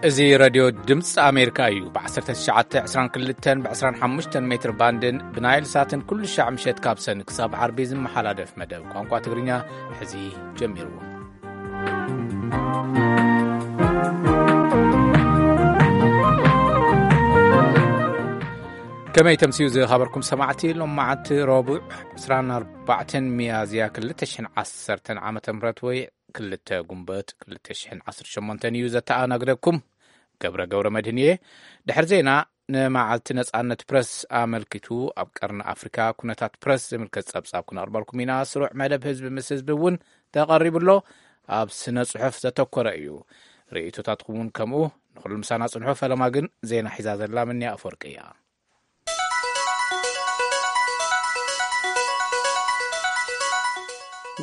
እዚ ሬድዮ ድምፂ ኣሜሪካ እዩ። ብ1922 ብ25 ሜትር ባንድን ብናይል ሳትን ኩሉ ሻዕ ምሸት ካብ ሰን ክሳብ ዓርቢ ዝመሓላለፍ መደብ ቋንቋ ትግርኛ ሕዚ ጀሚሩ። ከመይ ተምስዩ ዝኸበርኩም ሰማዕቲ? ሎማዓንቲ ረቡዕ 24 ሚያዝያ 2010 ዓመተ ምህረት ወይ 2 ጉንበት 2018 እዩ ዘተኣናግደኩም። ገብረ ገብረ መድህን እየ። ድሕሪ ዜና ንመዓልቲ ነጻነት ፕረስ ኣመልኪቱ ኣብ ቀርኒ ኣፍሪካ ኩነታት ፕረስ ዝምልከት ጸብጻብ ክነቕርበልኩም ኢና። ስሩዕ መደብ ህዝቢ ምስ ህዝቢ እውን ተቐሪቡ ኣሎ። ኣብ ስነ ጽሑፍ ዘተኮረ እዩ። ርእይቶታትኩም እውን ከምኡ። ንኹሉ ምሳና ጽንሑ። ፈለማ ግን ዜና ሒዛ ዘላ ምንያ ኣፈወርቂ እያ።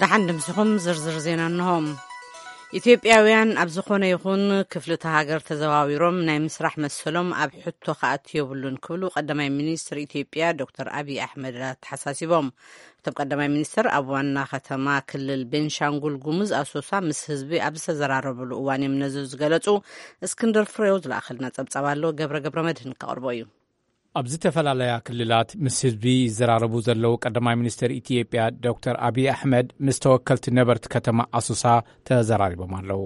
ደሓን ድምስኹም ዝርዝር ዜና እንሆ። ኢትዮጵያውያን ኣብ ዝኾነ ይኹን ክፍሊ እታ ሃገር ተዘዋዊሮም ናይ ምስራሕ መሰሎም ኣብ ሕቶ ክኣቱ የብሉን ክብሉ ቀዳማይ ሚኒስትር ኢትዮጵያ ዶክተር ኣብይ ኣሕመድ ኣተሓሳሲቦም። እቶም ቀዳማይ ሚኒስትር ኣብ ዋና ከተማ ክልል ቤንሻንጉል ጉሙዝ ኣሶሳ ምስ ህዝቢ ኣብ ዝተዘራረብሉ እዋን እዮም ነዚ ዝገለጹ። እስክንድር ፍሬው ዝለኣኸልና ጸብጻብ ኣሎ፣ ገብረ ገብረ መድህን ከቕርቦ እዩ። ኣብ ዝተፈላለያ ክልላት ምስ ህዝቢ ይዘራረቡ ዘለዉ ቀዳማይ ሚኒስትር ኢትዮጵያ ዶክተር ኣብይ ኣሕመድ ምስ ተወከልቲ ነበርቲ ከተማ ኣሶሳ ተዘራሪቦም ኣለዉ።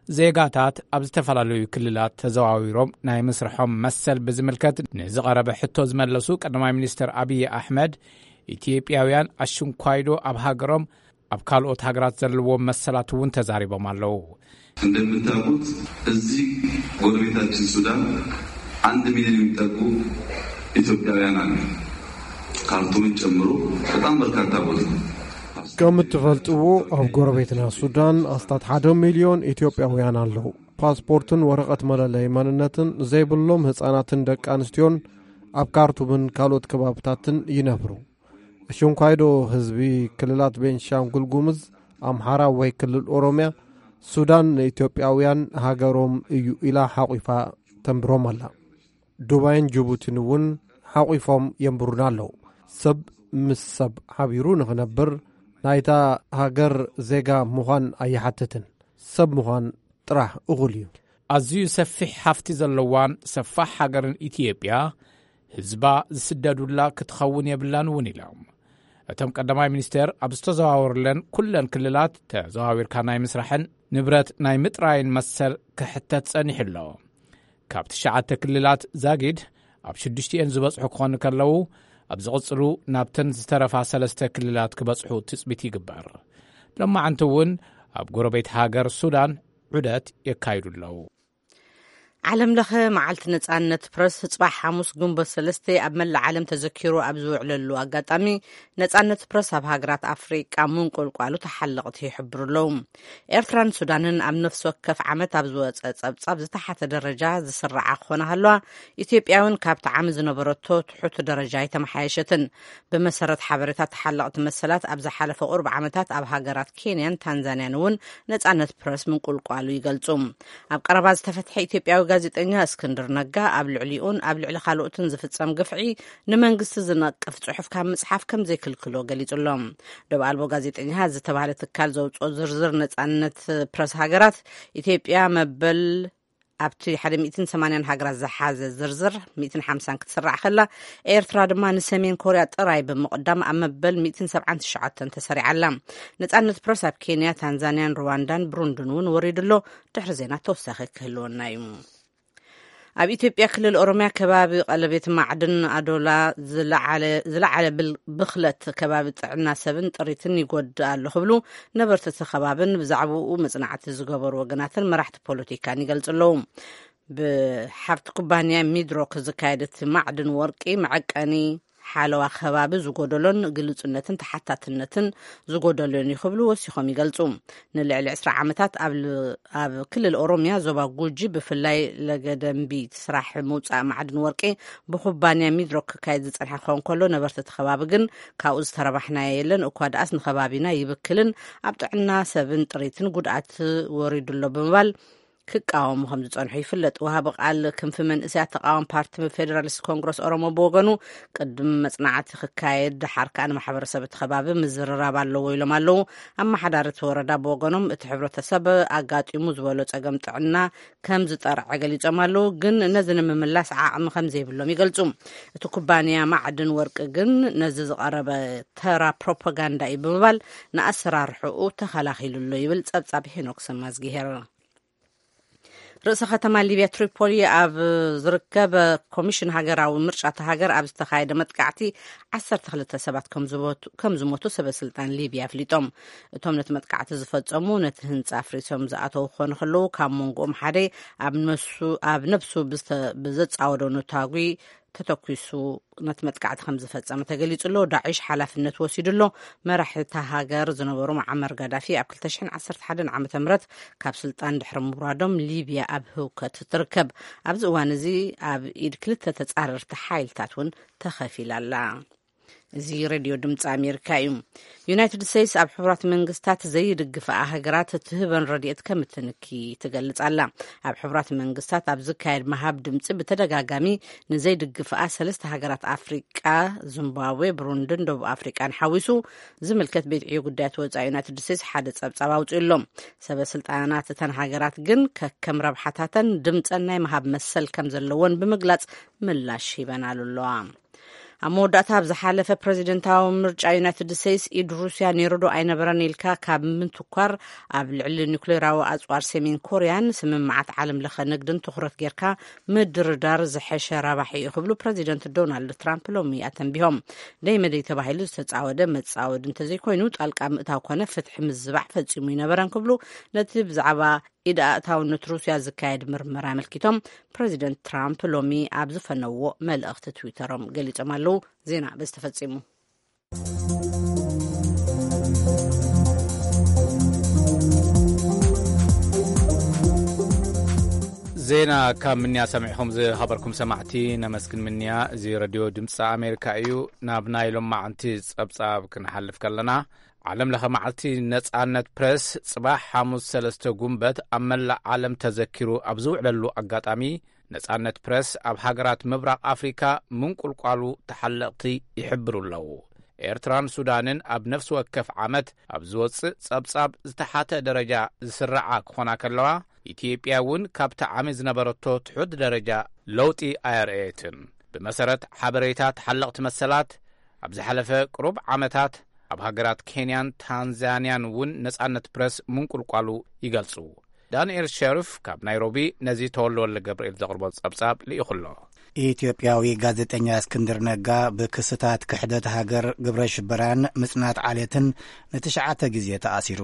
ዜጋታት ኣብ ዝተፈላለዩ ክልላት ተዘዋዊሮም ናይ ምስርሖም መሰል ብዝምልከት ንዝቐረበ ሕቶ ዝመለሱ ቀዳማይ ሚኒስትር ኣብይ ኣሕመድ፣ ኢትዮጵያውያን ኣሽንኳይዶ ኣብ ሃገሮም ኣብ ካልኦት ሃገራት ዘለዎም መሰላት እውን ተዛሪቦም ኣለዉ። እንደምታውቁት እዚህ ጎረቤታችን ሱዳን አንድ ሚሊዮን የሚጠጉ ኢትዮጵያውያን አሉ። ካርቱምን ጨምሮ በጣም በርካታ ቦታ። ከም እትፈልጥዎ ኣብ ጎረቤትና ሱዳን ኣስታት ሓደ ሚልዮን ኢትዮጵያውያን ኣለዉ። ፓስፖርትን ወረቐት መለለይ መንነትን ዘይብሎም ህጻናትን ደቂ ኣንስትዮን ኣብ ካርቱምን ካልኦት ከባብታትን ይነብሩ። እሽንኳይዶ ህዝቢ ክልላት ቤንሻንጉል ጉምዝ፣ ኣምሓራ ወይ ክልል ኦሮምያ፣ ሱዳን ንኢትዮጵያውያን ሃገሮም እዩ ኢላ ሓቑፋ ተንብሮም ኣላ። ዱባይን ጅቡቲን እውን ሓቑፎም የንብሩና ኣለዉ። ሰብ ምስ ሰብ ሓቢሩ ንኽነብር ናይታ ሃገር ዜጋ ምዃን ኣይሓትትን። ሰብ ምዃን ጥራሕ እኹል እዩ። ኣዝዩ ሰፊሕ ሃፍቲ ዘለዋን ሰፋሕ ሃገርን ኢትዮጵያ፣ ህዝባ ዝስደዱላ ክትኸውን የብላን እውን ኢሎም። እቶም ቀዳማይ ሚኒስትር ኣብ ዝተዘዋወሩለን ኩለን ክልላት ተዘዋዊርካ ናይ ምስራሕን ንብረት ናይ ምጥራይን መሰል ክሕተት ጸኒሑ ኣሎ። ካብ ትሽዓተ ክልላት ዛጊድ ኣብ ሽዱሽቲኤን ዝበጽሑ ክኾኑ ከለዉ፣ ኣብ ዝቕጽሉ ናብተን ዝተረፋ ሰለስተ ክልላት ክበጽሑ ትጽቢት ይግበር። ሎማዓንቲ እውን ኣብ ጎረቤት ሃገር ሱዳን ዑደት የካይዱ ኣለዉ። ዓለም ለኸ መዓልቲ ነጻነት ፕረስ ጽባሕ ሓሙስ ግንቦት ሰለስተ ኣብ መላእ ዓለም ተዘኪሩ ኣብ ዝውዕለሉ ኣጋጣሚ፣ ነጻነት ፕረስ ኣብ ሃገራት ኣፍሪቃ ምንቁልቋሉ ተሓለቕቲ ይሕብሩ ኣለዉ። ኤርትራን ሱዳንን ኣብ ነፍሲ ወከፍ ዓመት ኣብ ዝወጸ ጸብጻብ ዝተሓተ ደረጃ ዝስርዓ ክኾና ሃለዋ፣ ኢትዮጵያ እውን ካብቲ ዓሚ ዝነበረቶ ትሑት ደረጃ ኣይተመሓየሸትን። ብመሰረት ሓበሬታ ተሓለቕቲ መሰላት ኣብ ዝሓለፈ ቁሩብ ዓመታት ኣብ ሃገራት ኬንያን ታንዛንያን እውን ነጻነት ፕረስ ምንቁልቋሉ ይገልጹ። ኣብ ቀረባ ዝተፈትሐ ኢትዮጵያዊ ጋዜጠኛ እስክንድር ነጋ ኣብ ልዕሊኡን ኣብ ልዕሊ ካልኦትን ዝፍጸም ግፍዒ ንመንግስቲ ዝነቅፍ ጽሑፍ ካብ ምጽሓፍ ከም ዘይክልክሎ ገሊጹ ኣሎ። ዶብ ኣልቦ ጋዜጠኛ ዝተባህለ ትካል ዘውጽኦ ዝርዝር ነጻነት ፕረስ ሃገራት፣ ኢትዮጵያ መበል ኣብቲ ሓደ ሚእትን ሰማንያን ሃገራት ዝሓዘ ዝርዝር ሚእትን ሓምሳን ክትስራዕ ከላ፣ ኤርትራ ድማ ንሰሜን ኮርያ ጥራይ ብምቕዳም ኣብ መበል ሚእትን ሰብዓን ትሽዓተን ተሰሪዓ ኣላ። ነጻነት ፕረስ ኣብ ኬንያ፣ ታንዛንያን ሩዋንዳን ብሩንድን እውን ወሪዱ ኣሎ። ድሕሪ ዜና ተወሳኺ ክህልወና እዩ። ኣብ ኢትዮጵያ ክልል ኦሮምያ ከባቢ ቀለቤት ማዕድን ኣዶላ ዝለዓለ፣ ዝለዓለ ብል-፣ ብኽለት ከባቢ ጥዕና ሰብን ጥሪትን ይጎድእ ኣሎ ክብሉ ነበርቲ እቲ ከባብን ብዛዕባኡ መጽናዕቲ ዝገበሩ ወገናትን መራሕቲ ፖለቲካን ይገልጹ ኣለዉ። ብሓብቲ ኩባንያ ሚድሮክ ዝካየድ እቲ ማዕድን ወርቂ መዐቀኒ ሓለዋ ከባቢ ዝጎደሎን ግልጹነትን ተሓታትነትን ዝጎደሎን እዩ ክብሉ ወሲኾም ይገልጹ። ንልዕሊ ዕስራ ዓመታት ኣብ ል-፣ ኣብ ክልል ኦሮምያ ዞባ ጉጂ ብፍላይ ለገደምቢ እቲ ስራሕ ምውጻእ ማዕድን ወርቂ ብኩባንያ ሚድሮክ ክካየድ ዝጸንሐ ክኸውን ከሎ፣ ነበርቲ እቲ ከባቢ ግን ካብኡ ዝተረባሕናዮ የለን፣ እኳ ደኣስ ንከባቢና ይብክልን ኣብ ጥዕና ሰብን ጥሪትን ጉድኣት ወሪዱ ኣሎ ብምባል ክቃወሙ ከም ዝጸንሑ ይፍለጥ። ወሃቢ ቃል ክንፊ መንእሰያት ተቃዋሚ ፓርቲ ፌደራሊስት ኮንግረስ ኦሮሞ ብወገኑ፣ ቅድሚ መጽናዕቲ ክካየድ፣ ደሓር ከኣ ንማሕበረሰብ እቲ ከባቢ ምዝርራብ ኣለዎ ኢሎም ኣለዉ። ኣመሓዳሪ እቲ ወረዳ ብወገኖም፣ እቲ ሕብረተሰብ ኣጋጢሙ ዝበሎ ጸገም ጥዕና ከም ዝጠርዐ ገሊጾም ኣለዉ፣ ግን ነዚ ንምምላስ ዓቕሚ ከም ዘይብሎም ይገልጹ። እቲ ኩባንያ ማዕድን ወርቂ ግን ነዚ ዝቐረበ ተራ ፕሮፓጋንዳ እዩ ብምባል፣ ንኣሰራርሕኡ ተኸላኺሉ ኣሎ ይብል ጸብጻብ ሄኖክ ሰማዝጊሄር። ርእሰ ከተማ ሊብያ ትሪፖሊ ኣብ ዝርከብ ኮሚሽን ሃገራዊ ምርጫ እታ ሃገር ኣብ ዝተኻየደ መጥቃዕቲ ዓሰርተ ክልተ ሰባት ከም ዝሞቱ፣ ከም ዝሞቱ ሰበ ስልጣን ሊብያ ኣፍሊጦም። እቶም ነቲ መጥቃዕቲ ዝፈጸሙ ነቲ ህንጻ ኣፍሪሶም ዝኣተዉ ክኾኑ ከለዉ፣ ካብ መንጎኦም ሓደ ኣብ ነሱ-፣ ኣብ ነብሱ ብዝተ-፣ ብዘጻወዶ ኑታጒ ተተኲሱ ነቲ መጥቃዕቲ ከም ዝፈጸመ ተገሊጹ ኣሎ። ዳዒሽ ሓላፍነት ወሲዱ ኣሎ። መራሒ እታ ሃገር ዝነበሩ መዓመር ጋዳፊ ኣብ ክልተ ሽሕን ዓሰርተ ሓደን ዓመተ ምህረት ካብ ስልጣን ድሕሪ ምውራዶም፣ ሊብያ ኣብ ህውከት ትርከብ። ኣብዚ እዋን እዚ ኣብ ኢድ ክልተ ተጻረርቲ ሓይልታት እውን ተኸፊላ ኣላ። እዚ ሬድዮ ድምፂ ኣሜሪካ እዩ። ዩናይትድ ስቴትስ ኣብ ሕቡራት መንግስታት ዘይድግፍኣ ሃገራት እትህበን ረድኤት ከም እትንኪ ትገልጽ ኣላ። ኣብ ሕቡራት መንግስታት ኣብ ዝካየድ ምሃብ ድምፂ ብተደጋጋሚ ንዘይድግፍኣ ሰለስተ ሃገራት ኣፍሪቃ፣ ዚምባብዌ፣ ብሩንድን ደቡብ ኣፍሪቃን ሓዊሱ ዝምልከት ቤት ዕዮ ጉዳያት ወፃኢ ዩናይትድ ስቴትስ ሓደ ጸብጻብ ኣውፅኡ ኣሎ። ሰበ ስልጣናት እተን ሃገራት ግን ከከም ረብሓታተን ድምፀን ናይ ምሃብ መሰል ከም ዘለወን ብምግላጽ ምላሽ ሂበናሉ ኣለዋ። ኣብ መወዳእታ፣ ኣብ ዝሓለፈ ፕረዚደንታዊ ምርጫ ዩናይትድ ስቴትስ፣ ኢድ ሩስያ ነይሩ ዶ ኣይነበረን ኢልካ ካብ ምትኳር፣ ኣብ ልዕሊ ኒኩሌራዊ ኣጽዋር ሰሜን ኮርያን ስምምዓት ዓለም ለኸ ንግድን ትኹረት ጌርካ ምድርዳር ዝሐሸ ረባሒ እዩ ክብሉ ፕረዚደንት ዶናልድ ትራምፕ ሎሚ ኣተንቢሆም። ደይ መደይ ተባሂሉ ዝተጻወደ መጻወዲ እንተዘይኮይኑ፣ ጣልቃ ምእታው ኮነ ፍትሒ ምዝባዕ ፈጺሙ ኣይነበረን ክብሉ ነቲ ብዛዕባ ኢድ ኣእታውነት ሩስያ ዝካየድ ምርመራ ኣመልኪቶም ፕረዚደንት ትራምፕ ሎሚ ኣብ ዝፈነዎ መልእኽቲ ትዊተሮም ገሊጾም ኣለዉ። ዜና በዚ ተፈጺሙ። ዜና ካብ ምንያ ሰሚዕኹም ዝሃበርኩም ሰማዕቲ ነመስግን ምንያ። እዚ ረድዮ ድምፂ ኣሜሪካ እዩ። ናብ ናይ ሎማዓንቲ ጸብጻብ ክንሓልፍ ከለና፣ ዓለም ለኸ መዓልቲ ነጻነት ፕረስ ጽባሕ ሓሙስ ሰለስተ ጉንበት ኣብ መላእ ዓለም ተዘኪሩ ኣብ ዝውዕለሉ ኣጋጣሚ፣ ነጻነት ፕረስ ኣብ ሃገራት ምብራቕ ኣፍሪካ ምንቁልቋሉ ተሓለቕቲ ይሕብሩ ኣለዉ። ኤርትራን ሱዳንን ኣብ ነፍሲ ወከፍ ዓመት ኣብ ዝወጽእ ጸብጻብ ዝተሓተ ደረጃ ዝስርዓ ክኾና ከለዋ፣ ኢትዮጵያ እውን ካብቲ ዓሚ ዝነበረቶ ትሑት ደረጃ ለውጢ ኣየርእየትን። ብመሰረት ሓበሬታ ተሓለቕቲ መሰላት፣ ኣብ ዝሓለፈ ቅሩብ ዓመታት ኣብ ሃገራት ኬንያን ታንዛንያን እውን ነጻነት ፕረስ ምንቁልቋሉ ይገልጹ። ዳንኤል ሸሪፍ ካብ ናይሮቢ ነዚ ተወልደ ወልደ ገብርኤል ዘቕርቦ ጸብጻብ ልኢኹ ኣሎ። ኢትዮጵያዊ ጋዜጠኛ እስክንድር ነጋ ብክስታት ክሕደት ሃገር፣ ግብረ ሽበራን ምጽናት ዓሌትን ንትሽዓተ ግዜ ተኣሲሩ።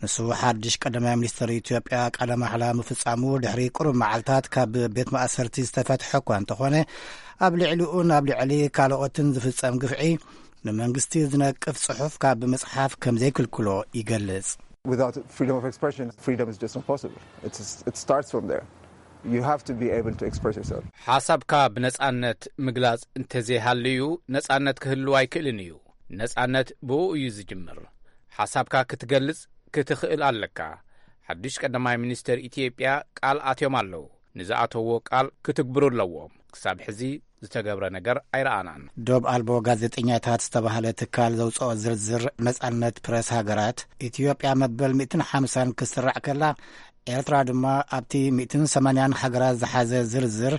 ንሱ ሓድሽ ቀዳማይ ሚኒስትር ኢትዮጵያ ቃለ ማሕላ ምፍጻሙ ድሕሪ ቅሩብ መዓልታት ካብ ቤት ማእሰርቲ ዝተፈትሐ እኳ እንተኾነ፣ ኣብ ልዕሊኡን ኣብ ልዕሊ ካልኦትን ዝፍጸም ግፍዒ ንመንግስቲ ዝነቅፍ ጽሑፍ ካብ ምጽሓፍ ከም ዘይክልክሎ ይገልጽ። Without freedom of expression, freedom is just impossible. It's, it starts from there. You have to be able to express yourself. ሓሳብካ ብነጻነት ምግላጽ እንተዘይሃልዩ፣ ነጻነት ክህልው ኣይክእልን እዩ። ነጻነት ብኡ እዩ ዝጅምር። ሓሳብካ ክትገልጽ ክትኽእል ኣለካ። ሓድሽ ቀዳማይ ሚኒስተር ኢትዮጵያ ቃል ኣትዮም ኣለዉ። ንዝኣተዎ ቃል ክትግብሩ ኣለዎም። ክሳብ ሕዚ ዝተገብረ ነገር ኣይረኣናን። ዶብ ኣልቦ ጋዜጠኛታት ዝተባህለ ትካል ዘውፅኦ ዝርዝር ነጻነት ፕረስ ሃገራት፣ ኢትዮጵያ መበል ሚእትን ሓምሳን ክስራዕ ከላ፣ ኤርትራ ድማ ኣብቲ ሚእትን ሰማንያን ሃገራት ዝሓዘ ዝርዝር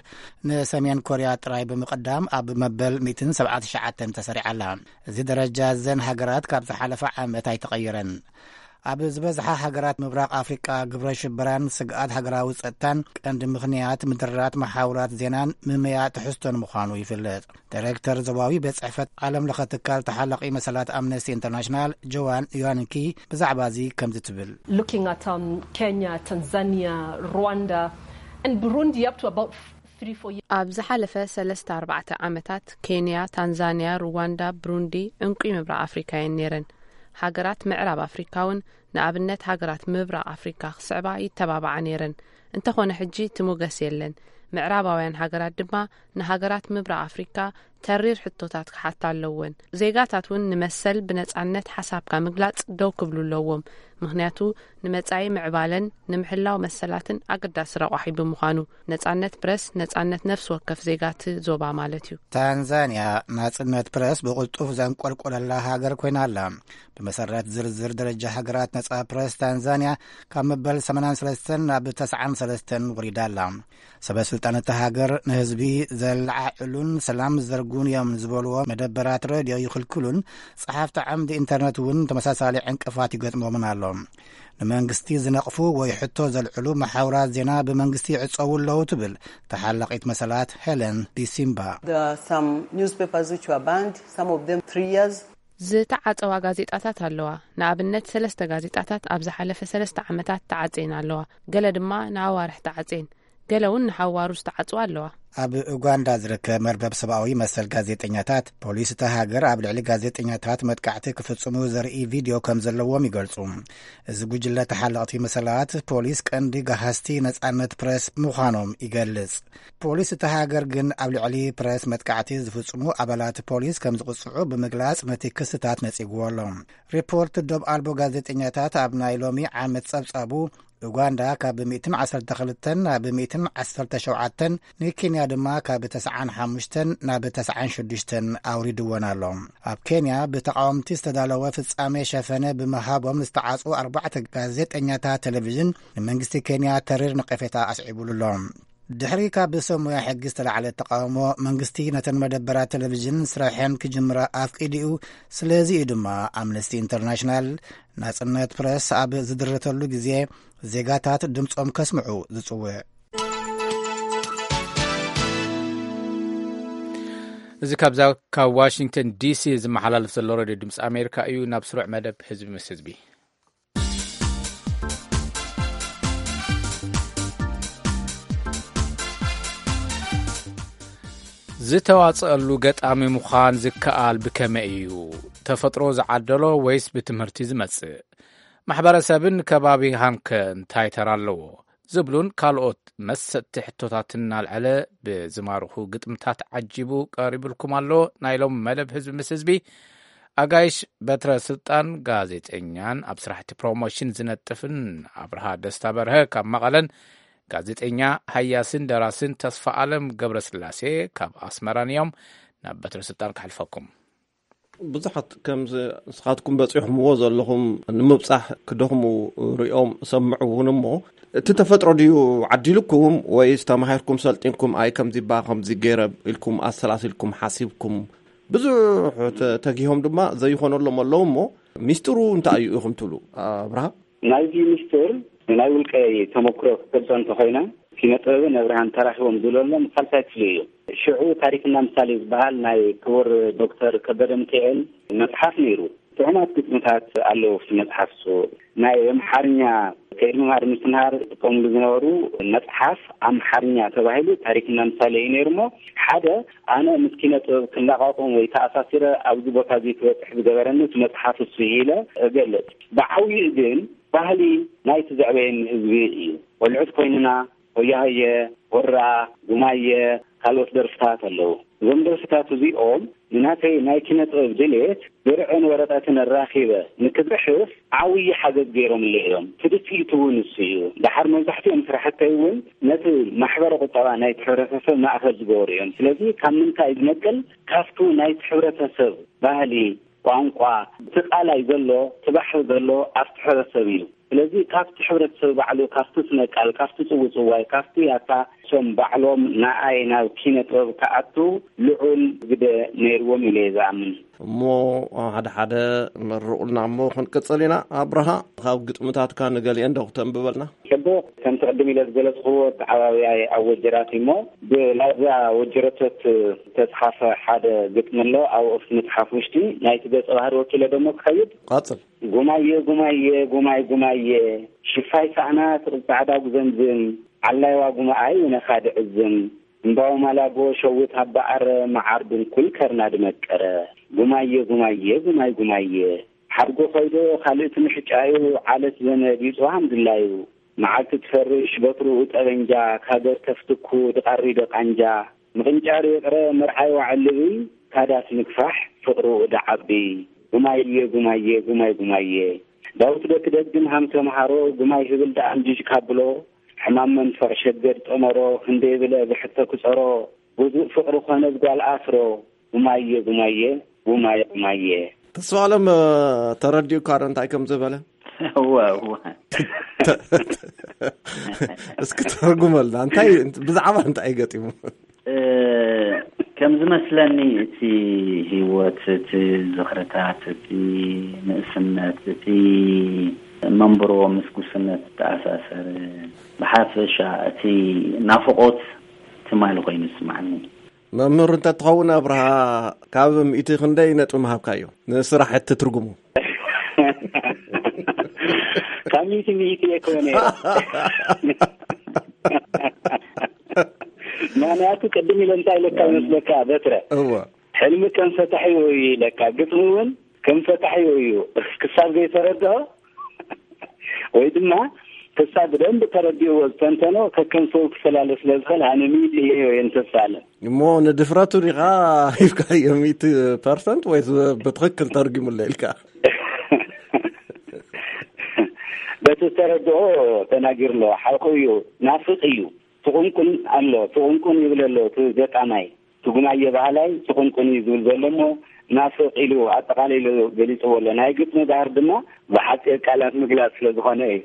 ንሰሜን ኮርያ ጥራይ ብምቕዳም ኣብ መበል ሚእትን ሰብዓን ትሽዓተን ተሰሪዓ ኣላ። እዚ ደረጃ እዘን ሃገራት ካብ ዝሓለፈ ዓመት ኣይተቐየረን። ኣብ ዝበዝሓ ሃገራት ምብራቕ ኣፍሪቃ፣ ግብረ ሽበራን ስግኣት ሃገራዊ ጸጥታን ቀንዲ ምኽንያት ምድራት መሓውራት ዜናን ምምያ ትሕዝቶን ምዃኑ ይፍለጥ። ዳይሬክተር ዞባዊ ቤት ጽሕፈት ዓለም ለኸ ትካል ተሓላቒ መሰላት ኣምነስቲ ኢንተርናሽናል፣ ጆዋን ዮሃንኪ፣ ብዛዕባ እዚ ከምዚ ትብል። Looking at, um, Kenya, Tanzania, Rwanda, and Burundi up to about three, four years. ኣብ ዝሓለፈ ሰለስተ ኣርባዕተ ዓመታት፣ ኬንያ፣ ታንዛንያ፣ ሩዋንዳ፣ ብሩንዲ፣ ዕንቁይ ምብራቕ ኣፍሪካ እየን ነይረን። ሃገራት ምዕራብ ኣፍሪካ እውን፣ ንኣብነት፣ ሃገራት ምብራቕ ኣፍሪካ ክስዕባ ይተባብዓ ነይረን። እንተኾነ፣ ሕጂ እቲ ሞገስ የለን። ምዕራባውያን ሃገራት ድማ ንሃገራት ምብራቕ ኣፍሪካ ተሪር ሕቶታት ክሓታ ኣለወን። ዜጋታት እውን ንመሰል ብነጻነት ሓሳብካ ምግላጽ ደው ክብሉ ኣለዎም። ምኽንያቱ ንመጻኢ ምዕባለን ንምሕላው መሰላትን ኣገዳሲ ረቋሒ ብምዃኑ፣ ነጻነት ፕረስ፣ ነጻነት ነፍሲ ወከፍ ዜጋቲ ዞባ ማለት እዩ። ታንዛንያ ናጽነት ፕረስ ብቕልጡፍ ዘንቆልቆለላ ሃገር ኮይና ኣላ። ብመሰረት ዝርዝር ደረጃ ሃገራት ነጻ ፕረስ፣ ታንዛንያ ካብ መበል ሰማንያን ሰለስተን ናብ ተስዓን ሰለስተን ወሪዳ ኣላ። ሰበ ስልጣን እታ ሃገር ንህዝቢ ዘለዓዕሉን ሰላም ዝዘርጉን እዮም ዝበልዎ መደበራት ሬድዮ ይኽልክሉን፣ ጸሓፍቲ ዓምዲ ኢንተርነት እውን ተመሳሳሊ ዕንቅፋት ይገጥሞምን ኣሎ። ንመንግስቲ ዝነቕፉ ወይ ሕቶ ዘልዕሉ መሓውራት ዜና ብመንግስቲ ይዕጸዉ ኣለዉ ትብል ተሓላቒት መሰላት ሄለን ዲሲምባ። There are some newspapers which were banned, some of them three years. ዝተዓጸዋ ጋዜጣታት ኣለዋ። ንኣብነት ሰለስተ ጋዜጣታት ኣብ ዝሓለፈ ሰለስተ ዓመታት ተዓጽየን ኣለዋ። ገለ ድማ ንኣዋርሕ ተዓጽየን። ገለ እውን ንሓዋሩ ዝተዓጽዋ ኣለዋ። ኣብ ኡጋንዳ ዝርከብ መርበብ ሰብኣዊ መሰል ጋዜጠኛታት፣ ፖሊስ እታ ሃገር ኣብ ልዕሊ ጋዜጠኛታት መጥቃዕቲ ክፍጽሙ ዘርኢ ቪድዮ ከም ዘለዎም ይገልጹ። እዚ ጉጅለ ተሓለቕቲ መሰላት፣ ፖሊስ ቀንዲ ጋሃስቲ ነጻነት ፕረስ ምዃኖም ይገልጽ። ፖሊስ እታ ሃገር ግን ኣብ ልዕሊ ፕረስ መጥቃዕቲ ዝፍጽሙ ኣባላት ፖሊስ ከም ዝቕጽዑ ብምግላጽ ነቲ ክስታት ነጺግዎ ኣሎ። ሪፖርት ዶብ ኣልቦ ጋዜጠኛታት ኣብ ናይ ሎሚ ዓመት ጸብጻቡ፣ ኡጋንዳ ካብ ሚእትን ዓሰርተ ክልተን ናብ ሚእትን ዓሰርተ ሸውዓተን፣ ንኬንያ ድማ ካብ ተስዓን ሓሙሽተን ናብ ተስዓን ሽዱሽተን ኣውሪድወን ኣሎ። ኣብ ኬንያ ብተቃወምቲ ዝተዳለወ ፍጻሜ ሸፈነ ብምሃቦም ዝተዓጽዉ ኣርባዕተ ጋዜጠኛታት ቴሌቪዥን ንመንግስቲ ኬንያ ተሪር ነቀፌታ ኣስዒቡሉ ኣሎ። ድሕሪ ካብ ሰብ ሞያ ሕጊ ዝተላዕለ ተቃውሞ፣ መንግስቲ ነተን መደበራት ቴሌቪዥን ስራሐን ክጅምራ ኣፍቂዱ'ዩ። ስለዚ እዩ ድማ ኣምነስቲ ኢንተርናሽናል ናጽነት ፕረስ ኣብ ዝድረተሉ ግዜ ዜጋታት ድምጾም ከስምዑ ዝጽውዕ። እዚ ካብዛ ካብ ዋሽንግተን ዲሲ ዝመሓላለፍ ዘሎ ሬድዮ ድምፂ ኣሜሪካ እዩ። ናብ ስሩዕ መደብ ህዝቢ ምስ ህዝቢ። ዝተዋጽኣሉ ገጣሚ ምዃን ዝከኣል ብከመይ እዩ? ተፈጥሮ ዝዓደሎ ወይስ ብትምህርቲ ዝመጽእ? ማሕበረሰብን ከባቢኻን ከ እንታይ ተራ ኣለዎ? ዝብሉን ካልኦት መሰጥቲ ሕቶታትን እናልዐለ ብዝማርኹ ግጥምታት ዓጂቡ ቀሪቡልኩም ኣሎ። ናይ ሎም መደብ ህዝቢ ምስ ህዝቢ፣ ኣጋይሽ በትረ ስልጣን፣ ጋዜጠኛን ኣብ ስራሕቲ ፕሮሞሽን ዝነጥፍን፣ ኣብርሃ ደስታ በርሀ ካብ መቐለን፣ ጋዜጠኛ፣ ሃያስን ደራስን ተስፋ ኣለም ገብረስላሴ ካብ ኣስመራን እዮም። ናብ በትረ ስልጣን ከሕልፈኩም። ብዙሓት ከምዚ ንስኻትኩም በጺሕኩምዎ ዘለኹም ንምብጻሕ ክደኽሙ ሪኦም ሰምዑ እውን እሞ፣ እቲ ተፈጥሮ ድዩ ዓዲልኩም ወይስ ተማሂርኩም ሰልጢንኩም፣ ኣይ ከምዚ እባ ከምዚ ገይረ ኢልኩም ኣሰላሲልኩም ሓሲብኩም፣ ብዙሕ ተ-፣ ተጊሆም ድማ ዘይኾነሎም ኣለዉ እሞ፣ ሚስጥሩ እንታይ እዩ ኢኹም ትብሉ ኣብርሃ? ናይዚ ምስጢር ናይ ውልቀይ ተመክሮ ክገልጾ እንተኾይነ፣ ኪነ ጥበብን ኣብርሃን ተራኺቦም ዝብለሎም ሳልሳይ ክፍሊ እዩ። ሽዑ ታሪክና ምሳሌ ዝበሃል ናይ ክቡር ዶክተር ከበደ ሚካኤል መጽሓፍ ነይሩ። ጥዑማት ግጥምታት ኣለዉ ኣብቲ መጽሓፍ እሱ። ናይ ኣምሓርኛ ከይዲ ምምሃር ምስትምሃር ዝጥቀምሉ ዝነበሩ መጽሓፍ ኣምሓርኛ ተባሂሉ ታሪክና ምሳሌ እዩ ነይሩ እሞ፣ ሓደ ኣነ ምስ ኪነ ጥበብ ክለቓቕም ወይ ተኣሳሲረ ኣብዚ ቦታ እዚ ክበጽሕ ዝገበረኒ እቲ መጽሓፍ እሱ እዩ ኢለ እገልጽ። ብዓብይኡ ግን ባህሊ ናይቲ ዘዕበየኒ ህዝቢ እዩ። ቆልዑት ኮይንና ሆያ ሆየ፣ ሆራ፣ ጉማየ፣ ካልኦት ደርፍታት ኣለዉ። እዞም ደርፍታት እዚኦም ንናተይ ናይ ኪነ ጥበብ ድሌት ብርዕን ወረቐትን ኣራኺበ ንክጽሕፍ ዓብዪ ሓገዝ ገይሮምለይ እዮም። ትድፊኢቱ እውን እሱ እዩ። ደሓር መብዛሕትኦም ስራሕተይ እውን ነቲ ማሕበረ ቁጠባ ናይቲ ሕብረተሰብ ማእከል ዝገበሩ እዮም። ስለዚ ካብ ምንታይ ዝነቅል? ካብቱ ናይቲ ሕብረተሰብ ባህሊ፣ ቋንቋ፣ እቲ ቃላይ ዘሎ፣ እቲ ባሕሪ ዘሎ ኣብቲ ሕብረተሰብ እዩ። ስለዚ ካብቲ ሕብረተሰብ ባዕሉ፣ ካብቲ ስነ ቃል፣ ካብቲ ጽውጽዋይ፣ ካብቲ ያታ፣ እሶም ባዕሎም ንኣይ ናብ ኪነ ጥበብ ክኣቱ ልዑል ግደ ነይርዎም ኢለ እየ ዝኣምን። እሞ ሓደ ሓደ መርቑልና እሞ ክንቅጽል ኢና። ኣብርሃ፣ ካብ ግጥምታትካ ንገሊአን ዶ ክተንብበልና? ጽቡቕ፣ ከምቲ ቅድም ኢለ ዝገለጽክዎ፣ ኣተዓባብያይ ኣብ ወጀራት እዩ እሞ፣ ብላዛ ወጀረቶት ዝተጽሓፈ ሓደ ግጥሚ ኣሎ። ኣብኡ ኣብቲ መጽሓፍ ውሽጢ ናይቲ ገጸ ባህሪ ወኪለ ደሞ ክኸይድ። ቀጽል። ጉማየ፣ ጉማየ፣ ጉማይ፣ ጉማየ፣ ሽፋይ ሳእናት ጻዕዳ ጉዘምዝም፣ ዓላይዋ ጉማኣይ ውነኻ ድዕዝም፣ እምባው ማላጎ ሸዊት ኣባኣረ፣ መዓር ድንኩል ከርና ድመቀረ። ጉማየ፣ ጉማየ፣ ጉማይ፣ ጉማየ፣ ሓድጎ ኸይዶ ካልእቲ ምሕጫዩ፣ ዓለት ዘመድ ይጽዋሃም ድላዩ። መዓልቲ ትፈርሽ በትርኡ ጠበንጃ፣ ካገር ከፍትኩ ድቓሪ ደቓንጃ፣ ምቕንጫር ይቕረ መርዓይ ዋዕልብይ፣ ካዳት ምግፋሕ ፍቕሩ ደዓቢ። ጉማየ ጉማየ ጉማይ ጉማየ። ዳዊት ዶ ክደግም ሃም ተምሃሮ፣ ጉማይ ህብል ደኣ እንጅጅ ካብሎ። ሕማም መንፈቕ ሸገድ ጠመሮ፣ ክንደይ ብለ ብሕቶ ክጸሮ። ብዙእ ፍቕሪ ኮነ ብጓል ኣስሮ። ጉማየ ጉማየ ጉማየ ጉማየ። ተስፋ ኣለም ተረዲኡካ ዶ እንታይ ከም ዝበለ? እወ እወ። እስኪ ተርጉመልና፣ እንታይ፣ ብዛዕባ እንታይ ገጢሙ? ከም ዝመስለኒ እቲ ህይወት፣ እቲ ዝኽርታት፣ እቲ ንእስነት፣ እቲ መንብሮ ምስ ጉስነት ዝተኣሳሰረ፣ ብሓፈሻ እቲ ናፍቖት ትማሊ ኮይኑ ይስማዓኒ። መምህር እንተትኸውን ኣብርሃ፣ ካብ ሚእቲ ክንደይ ነጥቢ ምሃብካዮ ንስራሕ እቲ ትርጉሙ? ካብ ሚእቲ ሚእቲ እየ ክወነ። ምክንያቱ ቅድም ኢለ እንታይ ኢለካ ይመስለካ በትረ? እወ። ሕልሚ ከም ፈታሒ እዩ ኢለካ፣ ግጥሚ እውን ከም ፈታሒ እዩ። ክሳብ ዘይተረድኦ ወይ ድማ ክሳብ ብደንብ ተረዲእዎ ዝተንተኖ ከከም ሰው ክፈላለ ስለ ዝኽእል ኣነ ሚእቲ እየ እየ ንተስፋ ኣለ። እሞ ንድፍረቱ ዲኻ ሂብካዮ ሚእቲ ፐርሰንት ወይስ ብትኽክል ተርጊሙለ ኢልካ? በቲ ዝተረድኦ ተናጊሩ ኣሎ። ሓቁ እዩ፣ ናፍቕ እዩ። ትቑንቁን ኣሎ፣ ትቑንቁን ይብል ኣሎ እቲ ገጣማይ። ትጉማየ ባህላይ ትቑንቁን እዩ ዝብል ዘሎ እሞ ናፍቕ ኢሉ ኣጠቓሊሉ ገሊፅዎ ኣሎ። ናይ ግጥሚ ባህር ድማ ብሓፂር ቃላት ምግላፅ ስለ ዝኾነ እዩ።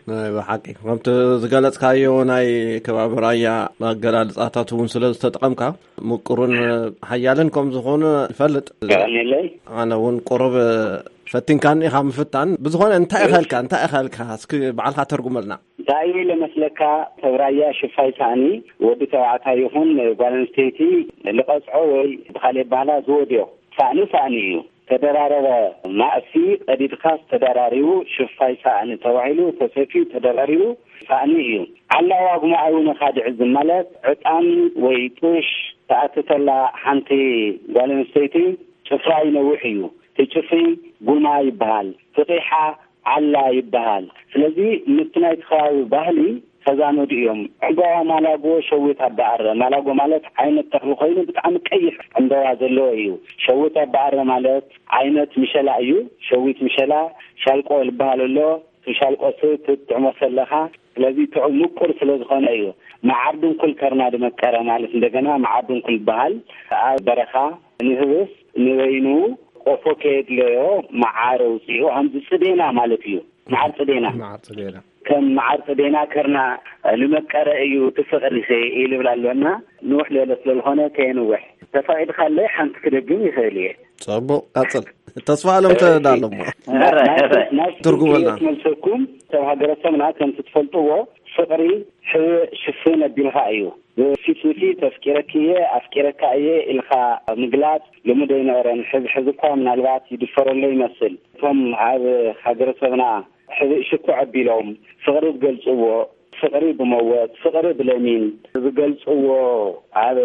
ናይ ብሓቂ ከምቲ ዝገለጽካዮ ናይ ከባቢ ራያ ኣገላልጻታት እውን ስለ ዝተጠቐምካ ምቁርን ሓያልን ከም ዝኾነ ይፈልጥ። ቀኒለይ ኣነ እውን ቁሩብ ፈቲንካኒ ኢኻ ምፍታን። ብዝኾነ እንታይ ኢኸልካ እንታይ ኢኸልካ እስኪ ባዕልካ ተርጉመልና። እንታይ ለመስለካ? ተብራያ ሽፋይ ሳእኒ ወዲ ተባዕታይ ይኹን ጓል ኣንስተይቲ ልቐጽዖ ወይ ብኻልእ ባህላ ዝወድዮ ሳእኒ ሳእኒ እዩ። ተደራረበ ማእሲ ቀዲድካስ ተደራሪቡ ሽፋይ ሳእኒ ተባሂሉ ተሰፊዩ ተደራሪቡ ሳእኒ እዩ። ዓላዋ ጉማኣይ እውን ኻድዕዝም ማለት ዕጣን ወይ ጡሽ ተኣትተላ ሓንቲ ጓል ኣንስተይቲ ጭፍራ ይነውሕ እዩ። እቲ ጭፍሪ ጉማ ይበሃል። ፍቂሓ ዓላ ይበሃል። ስለዚ ምስቲ ናይቲ ከባቢ ባህሊ ተዛመዱ እዮም። ዕምባባ ማላጎ ሸዊት ኣባኣረ። ማላጎ ማለት ዓይነት ተኽሊ ኮይኑ ብጣዕሚ ቀይሕ ዕምባባ ዘለዎ እዩ። ሸዊት ኣባኣረ ማለት ዓይነት ምሸላ እዩ። ሸዊት ምሸላ ሻልቆ ልበሃል ኣሎ። እቲ ሻልቆ ስ ትጥዕሞ ከለኻ ስለዚ ጥዑም ምቁር ስለ ዝኾነ እዩ። መዓር ድንኩል ከርና ድመቀረ ማለት እንደገና መዓር ድንኩል ይበሃል። ኣብ በረኻ ንህብስ ንበይኑ ቆፎ ከየድለዮ መዓር ኣውፂኡ ከምዚ ፅዴና ማለት እዩ። መዓር ፅዴና መዓር ፅዴና ከም መዓር ፅዴና ከርና ንመቀረ እዩ እቲ ፍቅሪ ኢልብል ኣሎ እና ንውሕ ዝበለ ስለ ዝኾነ ከየንውሕ ተፈቒድካለይ ሓንቲ ክደግም ይኽእል እየ። ፅቡቅ ቀፅል። ተስፋ ኣለም ተዳለሞ ትርጉመልና መልሰኩም ሰብ ሃገረሰብና ከምቲ ትፈልጥዎ ፍቅሪ ሕብእ ሽፍን ኣቢልካ እዩ። ብፊት ንፊት ኣፍቂረኪ እየ ኣፍቂረካ እየ ኢልካ ምግላፅ ልሙድ ኣይነበረን። ሕዚ ሕዚ እኳ ምናልባት ይድፈረሎ ይመስል። እቶም ኣብ ሃገረሰብና ሕብእ ሽኩዕ ኣቢሎም ፍቅሪ ዝገልፅዎ ፍቅሪ ብመወት ፍቅሪ ብለሚን ዝገልፅዎ ኣብ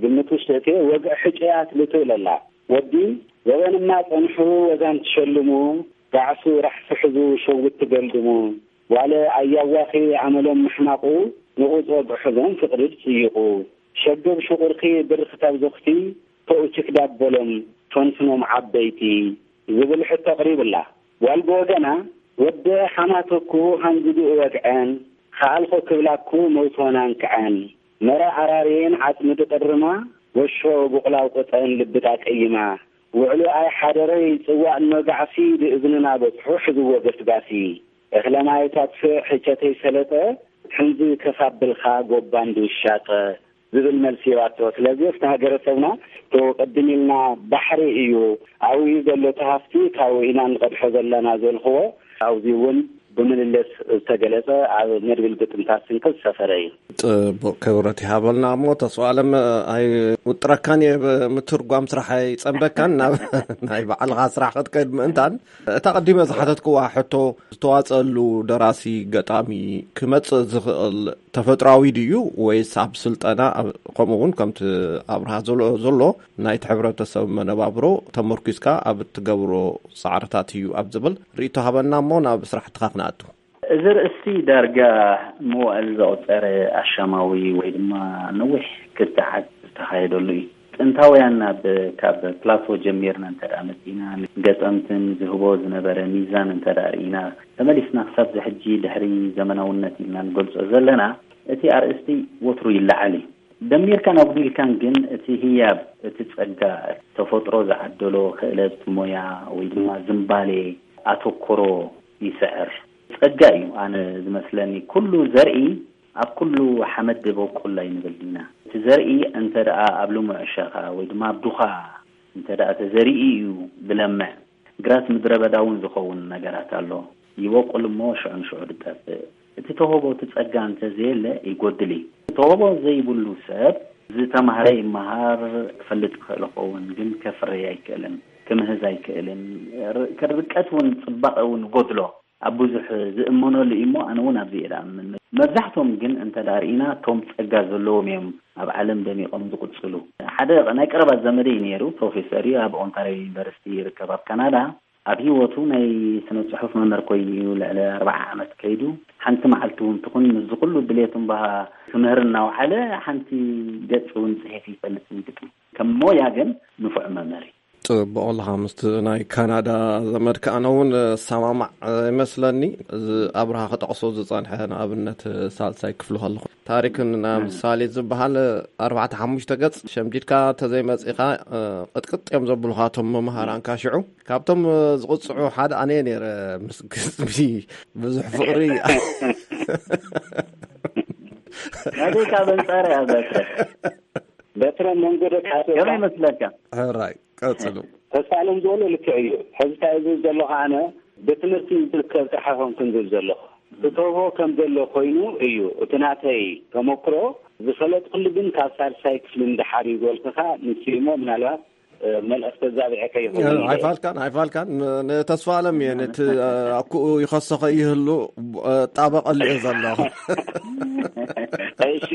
ግምት ውሽጢ እቲ ወግዒ ሕጨያት ልትብል ኣላ። ወዲ ዘበንማ ጸንሑ ወዛን ትሸልሙ ጋዕሱ ራሕሲ ሕዙ ሸዊት ትገልድሙ ዋለ ኣያዋኺ ኣመሎም ምሕማቑ ንቑጽ ወግዒ ሕዞም ፍቕሪ ድጽይቑ ሸገብ ሽቑርኪ ብርኽ ታብዞኽቲ ተኡችክ ዳበሎም ፈንፍኖም ዓበይቲ ዝብል ሕቶ ኣቕሪብላ። ጓል ብወገና ወደ ሓማተኩ ሃንዝጉ እወግዐን ኸኣልኾ ክብላኩ መውቶና እንክዐን መረ ኣራርየን ዓጽሚ ድቕርማ ወሾ ቡቕላው ቅጠን ልብዳ ቀይማ ውዕሉ ኣይ ሓደረይ ጽዋእ እኖ ጋዕሲ ብእዝንና በጽሑ ሕዝዎ ገስጋሲ እኽለ ማይ ታጥፍእ ሕቸተይ ሰለጠ ሕንዚ ከሳብልካ ጎባን ድውሻጠ ዝብል መልሲ ይባቶ። ስለዚ እቲ ሃገረሰብና ቶ ቅድም ኢልና ባሕሪ እዩ ኣብኡ ዘሎ እቲ ሃፍቲ ካብኡ ኢና ንቐድሖ ዘለና ዘልክዎ ኣብዚ እውን ብምልልስ ዝተገለጸ ኣብ መድብል ግጥምታት ስንቂ ዝሰፈረ እዩ። ጽቡቅ ክብረት ይሃበልና። እሞ ተስፋ ኣለም ኣይውጥረካን እየ ብምትርጓም ስራሕ ኣይጸምደካን ናብ ናይ ባዕልኻ ስራሕ ክትከድ ምእንታን እታ ቀዲመ ዝሓተትክዋ ሕቶ ዝተዋጸሉ ደራሲ ገጣሚ ክመጽእ ዝኽእል ተፈጥራዊ ድዩ ወይስ ኣብ ስልጠና ከምኡ እውን ከምቲ ኣብርሃ ዘሎ ናይቲ ሕብረተሰብ መነባብሮ ተመርኪዝካ ኣብ እትገብሮ ጻዕርታት እዩ ኣብ ዝብል ርእይቶ ሃበና እሞ ናብ ስራሕትኻ ክንኣቱ። እዚ ርእሲ ዳርጋ መዋእል ዘቑጸረ ኣሻማዊ ወይ ድማ ነዊሕ ክትዓት ዝተኻየደሉ እዩ። ጥንታውያን ናብ ካብ ፕላቶ ጀሚርና እንተ ደኣ መጺና፣ ገጠምትን ዝህቦ ዝነበረ ሚዛን እንተ ደኣ ርኢና፣ ተመሊስና ክሳብ ዝሕጂ ድሕሪ ዘመናውነት ኢልና ንገልጾ ዘለና፣ እቲ ኣርእስቲ ወትሩ ይለዓል እዩ። ደሚርካን ኣጉዲልካን ግን እቲ ህያብ፣ እቲ ጸጋ፣ ተፈጥሮ ዝዓደሎ ክእለት፣ ሞያ ወይ ድማ ዝንባሌ፣ ኣተኮሮ ይስዕር። ጸጋ እዩ ኣነ ዝመስለኒ። ኩሉ ዘርኢ ኣብ ኩሉ ሓመድ በቁል ኣይንብል ኢና። እቲ ዘርኢ እንተ ደኣ ኣብ ልሙዕ ሸኻ ወይ ድማ ኣብ ዱኻ እንተ ደኣ ተዘሪኡ እዩ ዝለምዕ። ግራት ምድረ በዳ እውን ዝኸውን ነገራት ኣሎ። ይበቁል እሞ ሽዑ ንሽዑ ዝጠፍእ። እቲ ተውህቦ፣ እቲ ጸጋ እንተ ዘየለ ይጎድል እዩ። ተውህቦ ዘይብሉ ሰብ ዝተማህረ ይመሃር፣ ክፈልጥ ይኽእል ይኸውን፣ ግን ከፍርይ ኣይክእልን፣ ክምህዝ ኣይክእልን። ር-፣ ርቀት እውን ጽባቐ እውን ይጎድሎ። ኣብ ብዙሕ ዝእመነሉ እዩ እሞ፣ ኣነ እውን ኣብዚ እየ ዝኣምን። መብዛሕቶም ግን እንተ ደኣ ርኢና፣ እቶም ጸጋ ዘለዎም እዮም ኣብ ዓለም ደሚቖም ዝቕጽሉ። ሓደ ናይ ቀረባ ዘመደይ ነይሩ፣ ፕሮፌሰር እዩ፣ ኣብ ኦንታርዮ ዩኒቨርሲቲ ይርከብ ኣብ ካናዳ። ኣብ ህይወቱ ናይ ስነ ጽሑፍ መምህር ኮይኑ እዩ ልዕሊ ኣርብዓ ዓመት ከይዱ። ሓንቲ መዓልቲ እውን ትኹን ምስዚ ኩሉ ድሌት እምበሃ ክምህር እናውዓለ ሓንቲ ገጽ እውን ጽሒፍ ይፈልጥ ግጥሚ። ከም ሞያ ግን ንፉዕ መምህር እዩ። ጽቡቕ ኣለኻ። ምስቲ ናይ ካናዳ ዘመድካ ኣነ እውን እሰማማዕ ይመስለኒ። እዚ ኣብርሃ ክጠቕሶ ዝጸንሐ ንኣብነት ሳልሳይ ክፍሊ ከለኹ ታሪክን ምሳሌ ዝበሃል ኣርባዕተ ሓሙሽተ ገጽ ሸምዲድካ ተዘይመጺኻ ቅጥቅጥ እዮም ዘብሉኻ እቶም መምሃራንካ። ሽዑ ካብቶም ዝቕጽዑ ሓደ ኣነ እየ ነይረ። ምስ ግጥሚ ብዙሕ ፍቕሪ ናበይ ካብ ኣንጻር እያ በትረ? በትረ መንጎ ደቂ ኣትወካ? ከመይ ይመስለካ? ሕራይ ቀጽሉ። ተስፋ ኣለም ዝበሎ ልክዕ እዩ። ሕዚ እንታይ ዝብል ዘለኹ ኣነ ብትምህርቲ ዝርከብ ጥራሕ ኣይኮንኩን ዝብል ዘለኹ። ዝተውህቦ ከም ዘሎ ኮይኑ እዩ። እቲ ናተይ ተመክሮ ዝፈለጥኩሉ ግን ካብ ሳልሳይ ክፍሊ ንደሓር እዩ ዝበልኩኻ። ንሱ እሞ ምናልባት መልእኽቲ ኣዛቢዐ ከይኸውን ኢለ እየ። ኣይፋልካን፣ ኣይፋልካን። ን-፣ ንተስፋ ኣለም እየ፣ ነቲ ኣኩኡ ይኸሰኸ ይህሉ ጣበቐሉ እየ ዘለኹ። እሺ።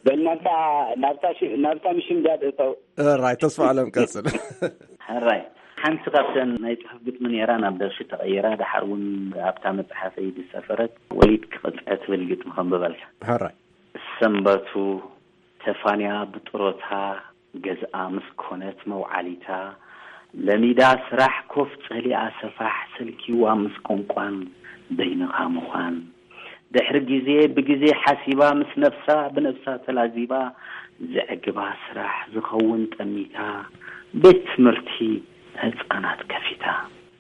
በል ናብታ፣ ናብታ ሽ-፣ ናብታ ምሽምዳድ እተው። ሕራይ፣ ተስፋ ኣለም ቀጽል። ሕራይ፣ ሓንቲ ካብተን ናይ ጽሑፍ ግጥሚ ነይራ ናብ ደርፊ ተቐይራ፣ ደሓር እውን ኣብታ መጽሓፈይ ዝሰፈረት ወሊድ ክቕጥዐ ትብል ግጥሚ ከንብበልካ። ሕራይ። ሰንበቱ ተፋንያ ብጥሮታ ገዝኣ ምስ ኮነት መውዓሊታ፣ ለሚዳ ስራሕ ኮፍ ጸሊኣ ሰፋሕ ሰልኪዋ ምስ ቋንቋን በይንኻ ምዃን። ድሕሪ ግዜ ብግዜ ሓሲባ ምስ ነፍሳ ብነፍሳ ተላዚባ፣ ዘዕግባ ስራሕ ዝኸውን ጠሚታ፣ ቤት ትምህርቲ ህጻናት ከፊታ።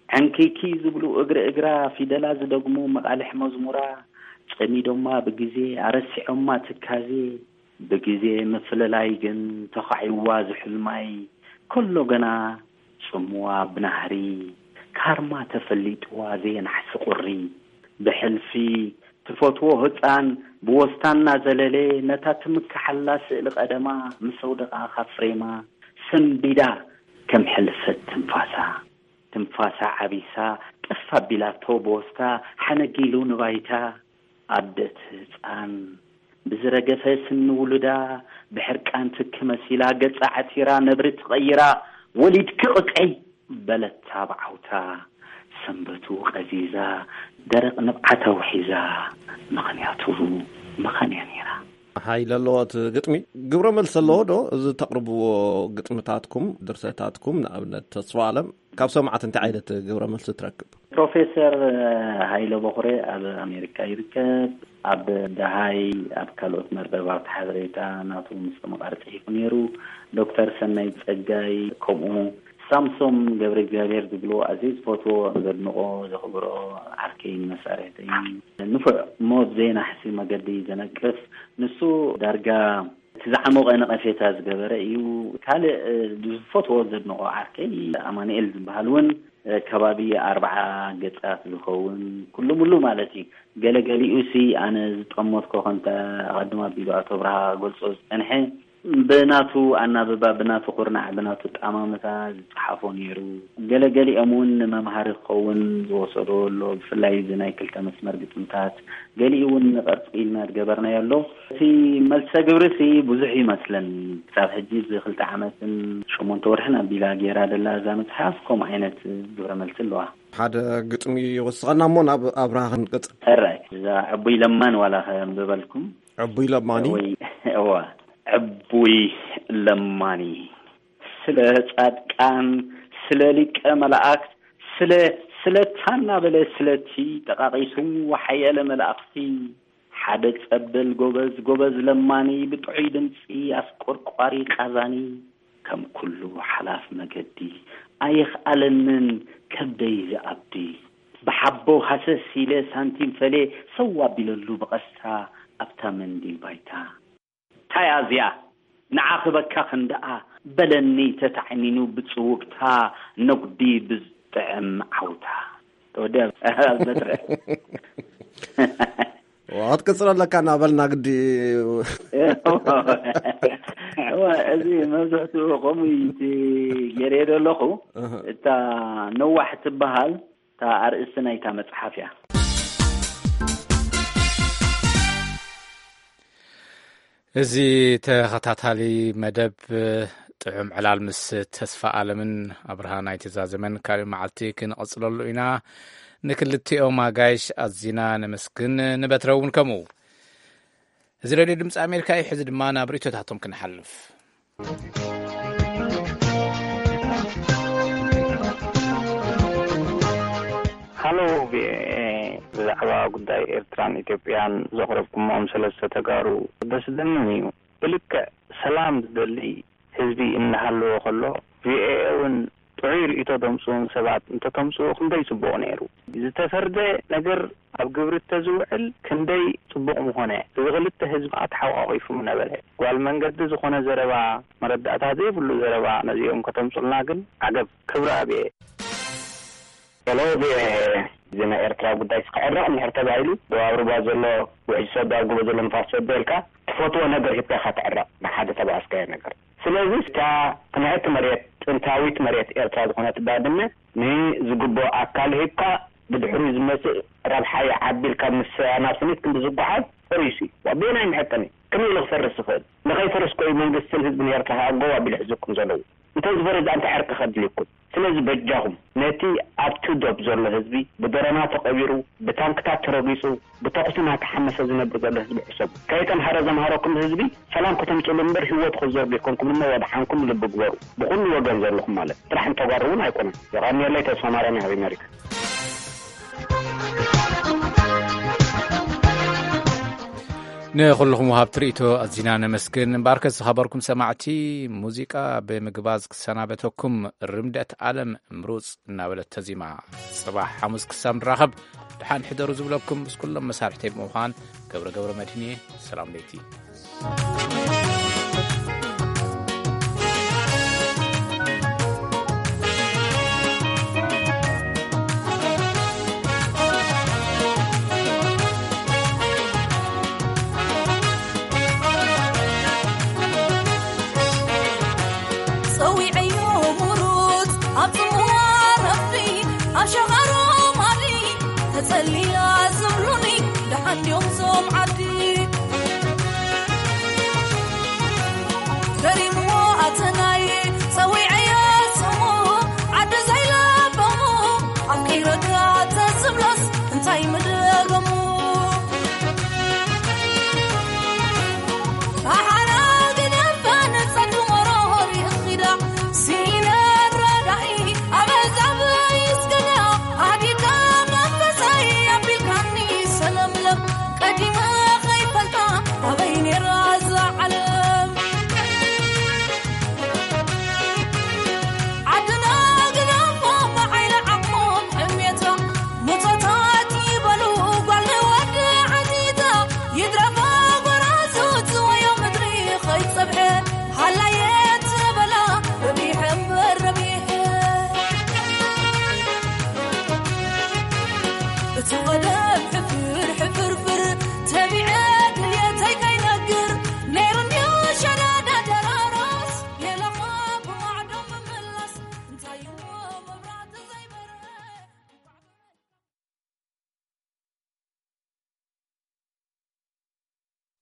ዕንክይክይ ዝብሉ እግሪ እግራ ፊደላ ዝደግሙ መቓልሕ መዝሙራ፣ ጸሚዶማ ብግዜ ኣረሲዖማ ትካዜ፣ ብግዜ ምፍልላይ ግን ተኻዒዋ ዝሑል ማይ፣ ከሎ ገና ጽምዋ ብናህሪ፣ ካርማ ተፈሊጥዋ ዘየናሕሲ ቁሪ። ብሕልፊ ትፈትዎ ህጻን ብወስታ እናዘለለ፣ ነታ ትምክሓላ ስእሊ ቀደማ ምስ ኣውደቓ ካብ ፍሬማ፣ ሰንቢዳ ከም ሕልፈት ትንፋሳ። ትንፋሳ ዓቢሳ ጠፍ ኣቢላቶ ብወስታ ሓነጊሉ ንባይታ። ኣደት ህጻን ብዝረገፈ ስኒ ውሉዳ ብሕርቃን ትኪ መሲላ ገጻ ዓቲራ ነብሪ ትቐይራ። ወሊድኪ ቅቅዒ በለታ ብዓውታ። ሰንበቱ ቀዚዛ ደረቕ ንብዓት ኣውሒዛ። ምኽንያቱ መኻን እያ ነይራ። ሓይሊ ኣለዎ እቲ ግጥሚ። ግብረ መልሲ ኣለዎ ዶ? እዚ ተቕርብዎ ግጥምታትኩም፣ ድርሰታትኩም፣ ንኣብነት ተስፋ ኣለም፣ ካብ ሰማዕቲ እንታይ ዓይነት ግብረ መልሲ ትረክብ? ፕሮፌሰር ሃይለ በኹሬ ኣብ ኣሜሪካ ይርከብ። ኣብ ደሃይ፣ ኣብ ካልኦት መርበባት ሓበሬታ ናቱ ምስ ተመቓሪ ጽሒፉ ነይሩ። ዶክተር ሰናይ ጸጋይ ከምኡ። ሳምሶም ገብረ እግዚኣብሔር ዝብሎ ኣዝየ ዝፈትዎ፣ ዘድንቖ፣ ዘኽብሮ ዓርከይን መሳርሕተይን፣ ንፉዕ እሞ ብዘይናሕሲ መገዲ ዘነቅፍ፣ ንሱ ዳርጋ እቲ ዝዓሞቐ ነቐፌታ ዝገበረ እዩ። ካልእ፣ እ፣ ዝፈትዎ ዘድንቖ ዓርከይ ኣማኑኤል ዝበሃል እውን፣ እ፣ ከባቢ ኣርብዓ ገጻት ዝኸውን ኩሉ ሙሉ ማለት እዩ። ገለገሊኡሲ ኣነ ዝጠመትኮ ከምቲ ኣቐድም ኣቢሉ ኣቶ ብርሃ ክገልጾ ዝጸንሐ፣ ብናቱ ኣናብባ፣ ብናቱ ኩርናዕ፣ ብናቱ ጠማምታ ዝጸሓፎ ነይሩ። ገለገሊኦም እውን ንመምሃሪ ክኸውን ዝወሰዶ ኣሎ። ብፍላይ እዚ ናይ ክልተ መስመር ግጥምታት፣ ገሊኡ እውን ንቐርጺ ኢልና ዝገበርናዮ ኣሎ። እቲ መልሰ ግብሪሲ ብዙሕ ይመስለኒ። ክሳብ ሕጂ እዚ ክልተ ዓመትን ሸሞንተ ወርሕን ኣቢላ ገይራ ደላ እዛ መጽሓፍ ከምኡ ዓይነት ግብረ መልሲ ኣለዋ። ሓደ ግጥሚ ይወስኸና እሞ ናብ ኣብርሃ ክንቅጽል። ሕራይ፣ እዛ ዕቡይ ለማን ዋላ ከንብበልኩም። ዕቡይ ለማኒ? ወይ፣ እዋ፣ ዕቡይ ለማኒ፣ ስለ ጻድቃን፣ ስለ ሊቀ መላእክት፣ ስለ፣ ስለታ እናበለ ስለቲ ጠቓቒሱ፣ ወሓየለ መላእኽቲ፣ ሓደ ጸበል ጎበዝ፣ ጎበዝ ለማኒ፣ ብጥዑይ ድምጺ ኣስቆርቋሪ ቃዛኒ፣ ከም ኩሉ ሓላፍ መገዲ ኣየኽኣለንን ከብደይ ዝኣብዲ። ብሓቦ ሃሰስ ኢለ ሳንቲም ፈልየ ሰው ኣቢለሉ ብቐስታ ኣብታ መንዲል ባይታ። እንታይ እያ እዚኣ? ንዓ ክበካ ክንደኣ በለኒ ተታዕኒኑ ብጽውብታ ነጉዲ ብዝጥዕም ዓውታ። ተወዲኣ በትረ። ክትቅጽሎ ኣለካ እናበልና ግዲ። እወ፣ እዚ መብዝሕትኡ ከምኡ እዩ እቲ ገይረዮ ዘለኹ። እህ። እታ ነዋሕ ትበሃል እታ ኣርእስቲ ናይታ መጽሓፍ እያ። እዚ ተኸታታሊ መደብ ጥዑም ዕላል ምስ ተስፋ ኣለምን ኣብርሃ ናይቲ ዛዘመን ካልእ መዓልቲ ክንቐጽለሉ ኢና። ንክልቲኦም ኣጋይሽ ኣዚና ነመስግን፣ ንበትረ እውን ከምኡ። እዚ ሬድዮ ድምፂ ኣሜሪካ እዩ። ሕዚ ድማ ናብ ርእይቶታቶም ክንሓልፍ። ሃሎ ቪኦኤ፣ ብዛዕባ ጉዳይ ኤርትራን ኢትዮጵያን ዘቕረብኩሞም ሰለስተ ተጋሩ ደስ ደምን እዩ። ብልክዕ ሰላም ዝደሊ ህዝቢ እናሃለወ ከሎ፣ ቪኦኤ እውን ጥዑይ ርእይቶ ደምፅኡን ሰባት እንተተምፅኡ ክንደይ ፅቡቕ ነይሩ። ዝተፈርደ ነገር ኣብ ግብሪ እተዝውዕል ክንደይ ፅቡቕ ምኾነ። እዚ ክልተ ህዝቢ ተሓቋቒፉ ምነበረ። ጓል መንገዲ ዝኾነ ዘረባ፣ መረዳእታ ዘይብሉ ዘረባ ነዚኦም ከተምፁልና ግን ዓገብ። ክብሪ ኣብየ። ሄሎ ቪኦኤ፣ እዚ ናይ ኤርትራ ጉዳይ ክዕረቕ እንድሕር ተባሂሉ፣ ደቡብ ኣውሮባ ዘሎ ውሕጅ ሰዶ ኣብ ጎቦ ዘሎ ንፋስ ሰዶ ኢልካ ትፈትዎ ነገር ሂብካ ኢኻ ትዕረቕ፣ ንሓደ ተባኣስካዮ ነገር። ስለዚ እታ ቅንዕቲ መሬት፣ ጥንታዊት መሬት ኤርትራ ዝኾነት ባድመ ንዝግብኦ ኣካል ሂብካ፣ ብድሕሪኡ ዝመጽእ ረብሓ ይዓቢ ኢልካ ምስ ኣናብስኒት ክንዲ ዝጓዓዝ ፈሪሱ እዩ። በየናይ መሐቀኒ? ከመይ ኢሉ ክፈርስ ይኽእል? ንኸይፈርስ እኮ እዩ መንግስትን ህዝብን ኤርትራ ከኣ ጎብ ኣቢሉ ሒዙኩም ዘለዉ። እንተዝፈርስ እንታይ ዕርቂ ከድልየኩም? ስለዚ በጃኹም ነቲ ኣብ ቱዶብ ዘሎ ህዝቢ ብደሮና ተቐቢሩ፣ ብታንክታት ተረጊጹ፣ ብተኹሲ እናተሓመሰ ዝነብር ዘሎ ህዝቢ ሕሰቡ። ከይተምሃረ ዘምሃረኩም ህዝቢ ሰላም ከተምጽእሉ እምበር ህይወቱ ከዘርጉ ኣይኮንኩም እሞ ወድሓንኩም ልቢ ግበሩ። ብኹሉ ወገን ዘለኹም ማለት ጥራሕ እንተጓሩ እውን ኣይኮነን። የቐንየለይ። ተስፋ ማርያም ኣብ ኣሜሪካ። ንኹልኹም ወሃብቲ ርእይቶ ኣዚና ነመስግን። እምበኣርከስ ዝኸበርኩም ሰማዕቲ፣ ሙዚቃ ብምግባዝ ክሰናበተኩም ርምደት ኣለም ምሩፅ እናበለት ተዚማ። ጽባሕ ሓሙስ ክሳብ ንራኸብ ደሓን ሕደሩ ዝብለኩም ምስ ኩሎም መሳርሕተይ ብምዃን ገብረ ገብረ መድህን እየ። ሰላም ለይቲ።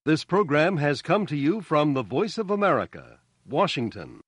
This program has come to you from the Voice of America, Washington.